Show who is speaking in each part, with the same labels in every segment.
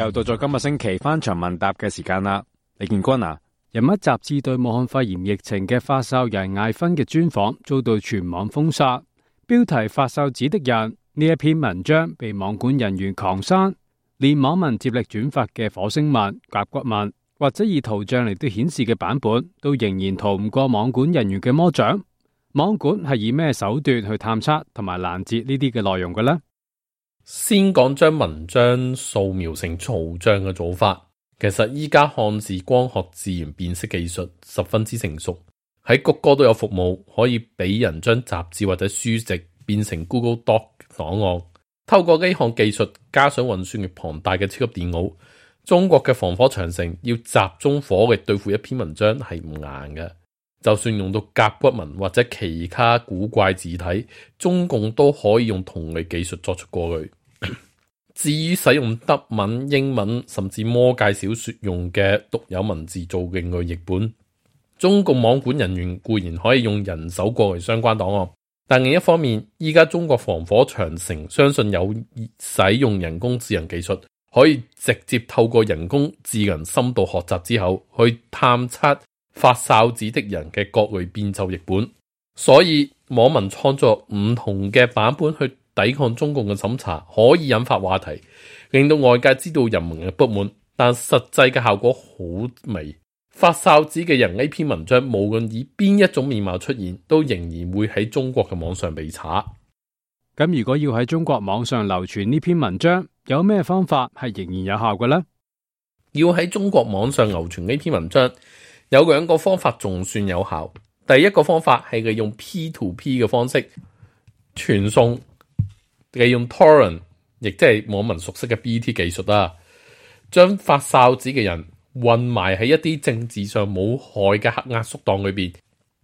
Speaker 1: 又到咗今個星期翻牆問答嘅時間啦，李建軍啊，人物雜誌對武漢肺炎疫情嘅發哨人艾芬嘅專訪遭到全網封殺，標題發哨指的人呢一篇文章被網管人員狂刪，連網民接力轉發嘅火星文、甲骨文或者以圖像嚟到顯示嘅版本，都仍然逃唔過網管人員嘅魔掌。網管係以咩手段去探測同埋攔截呢啲嘅內容嘅呢？
Speaker 2: 先講將文章掃描成圖像嘅做法，其實依家漢字光學自然辨識技術十分之成熟，喺谷歌都有服務可以俾人將雜誌或者書籍變成 Google Doc 檔案。透過呢項技術加上運算力龐大嘅超級電腦，中國嘅防火長城要集中火力對付一篇文章係唔難嘅。就算用到甲骨文或者其他古怪字體，中共都可以用同類技術作出過濾。至於使用德文、英文甚至魔界小說用嘅獨有文字做另類譯本，中共網管人員固然可以用人手過濾相關檔案，但另一方面，依家中國防火長城相信有使用人工智能技術，可以直接透過人工智能深度學習之後去探測發哨子的人嘅各類變奏譯本，所以網民創作唔同嘅版本去抵抗中共嘅審查，可以引發話題，令到外界知道人民嘅不滿，但實際嘅效果好微。發哨子嘅人呢篇文章無論以邊一種面貌出現，都仍然會喺中國嘅網上被查。
Speaker 1: 咁如果要喺中國網上流傳呢篇文章，有咩方法係仍然有效嘅呢？
Speaker 2: 要喺中國網上流傳呢篇文章，有兩個方法仲算有效。第一個方法係利用 P2P 嘅方式傳送，利用 Torrent， 亦即係網民熟悉嘅 BT 技術啦，將發哨子嘅人混埋喺一啲政治上冇害嘅黑壓縮檔裏邊，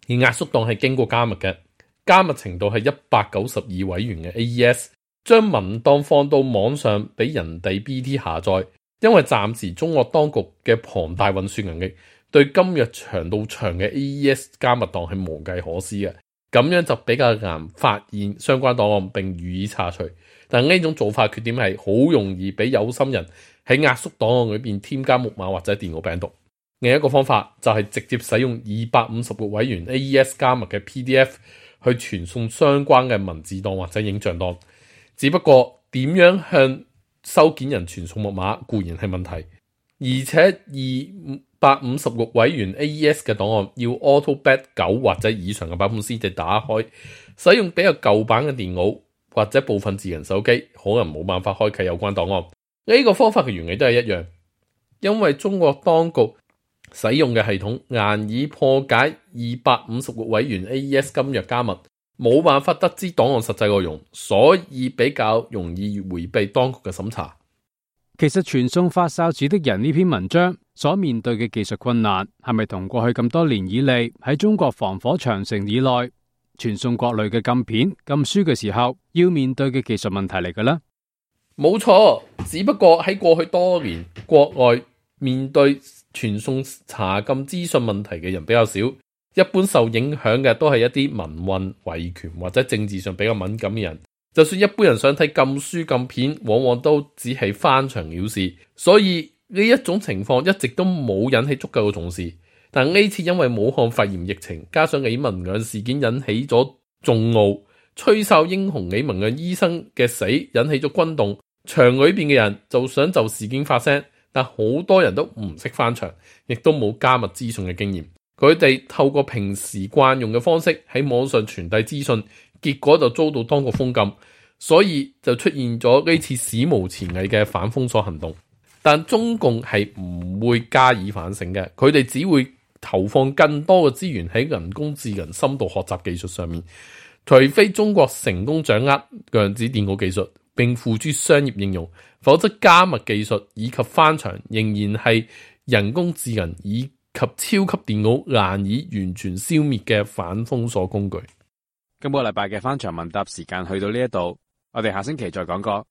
Speaker 2: 而壓縮檔係經過加密嘅，加密程度係192位元嘅 AES， 將文檔放到網上俾人哋 BT 下載。因為暫時中國當局嘅龐大運算能力，對今日長到長嘅 AES 加密檔係無計可施嘅，咁樣就比較難發現相關檔案並予以拆除。但呢種做法缺點係好容易俾有心人喺壓縮檔案裏邊添加木馬或者電腦病毒。另一個方法就係直接使用256位元 AES 加密嘅 PDF 去傳送相關嘅文字檔或者影像檔。只不過點樣向收件人傳送木馬固然係問題，而且256位元 AES 嘅檔案要 AutoBet 9或者以上嘅版本先至打開，使用比較舊版嘅電腦或者部分智能手機可能冇辦法開啟有關檔案。呢個方法嘅原理都係一樣，因為中國當局使用嘅系統難以破解256位元 AES 今日加密，冇辦法得知檔案實際內容，所以比較容易回避當局嘅審查。
Speaker 1: 其實傳送發哨子的人呢篇文章所面對嘅技術困難，係咪同過去咁多年以嚟喺中國防火長城以內傳送各類嘅禁片、禁書嘅時候要面對嘅技術問題嚟嘅呢？
Speaker 2: 冇錯，只不過喺過去多年，國外面對傳送查禁資訊問題嘅人比較少。一般受影響嘅都係一啲民運、維權或者政治上比較敏感嘅人。就算一般人想睇禁書禁片，往往都只係翻牆了事。所以呢一種情況一直都冇引起足夠嘅重視。但呢次因為武漢肺炎疫情，加上李文亮事件引起咗眾怒，吹哨英雄李文亮醫生嘅死引起咗轟動，牆裏邊嘅人就想就事件發聲，但好多人都唔識翻牆，亦都冇加密資訊嘅經驗。佢哋透過平時慣用嘅方式喺網上傳遞資訊，結果就遭到當局封禁，所以就出現咗呢次史無前例嘅反封鎖行動。但中共係唔會加以反省嘅，佢哋只會投放更多嘅資源喺人工智能深度學習技術上面，除非中國成功掌握量子電腦技術並付諸商業應用，否則加密技術以及翻牆仍然係人工智能以及超級電腦難以完全消滅嘅反封鎖工具。
Speaker 1: 今個禮拜嘅翻牆問答時間去到呢一度，我哋下星期再講過。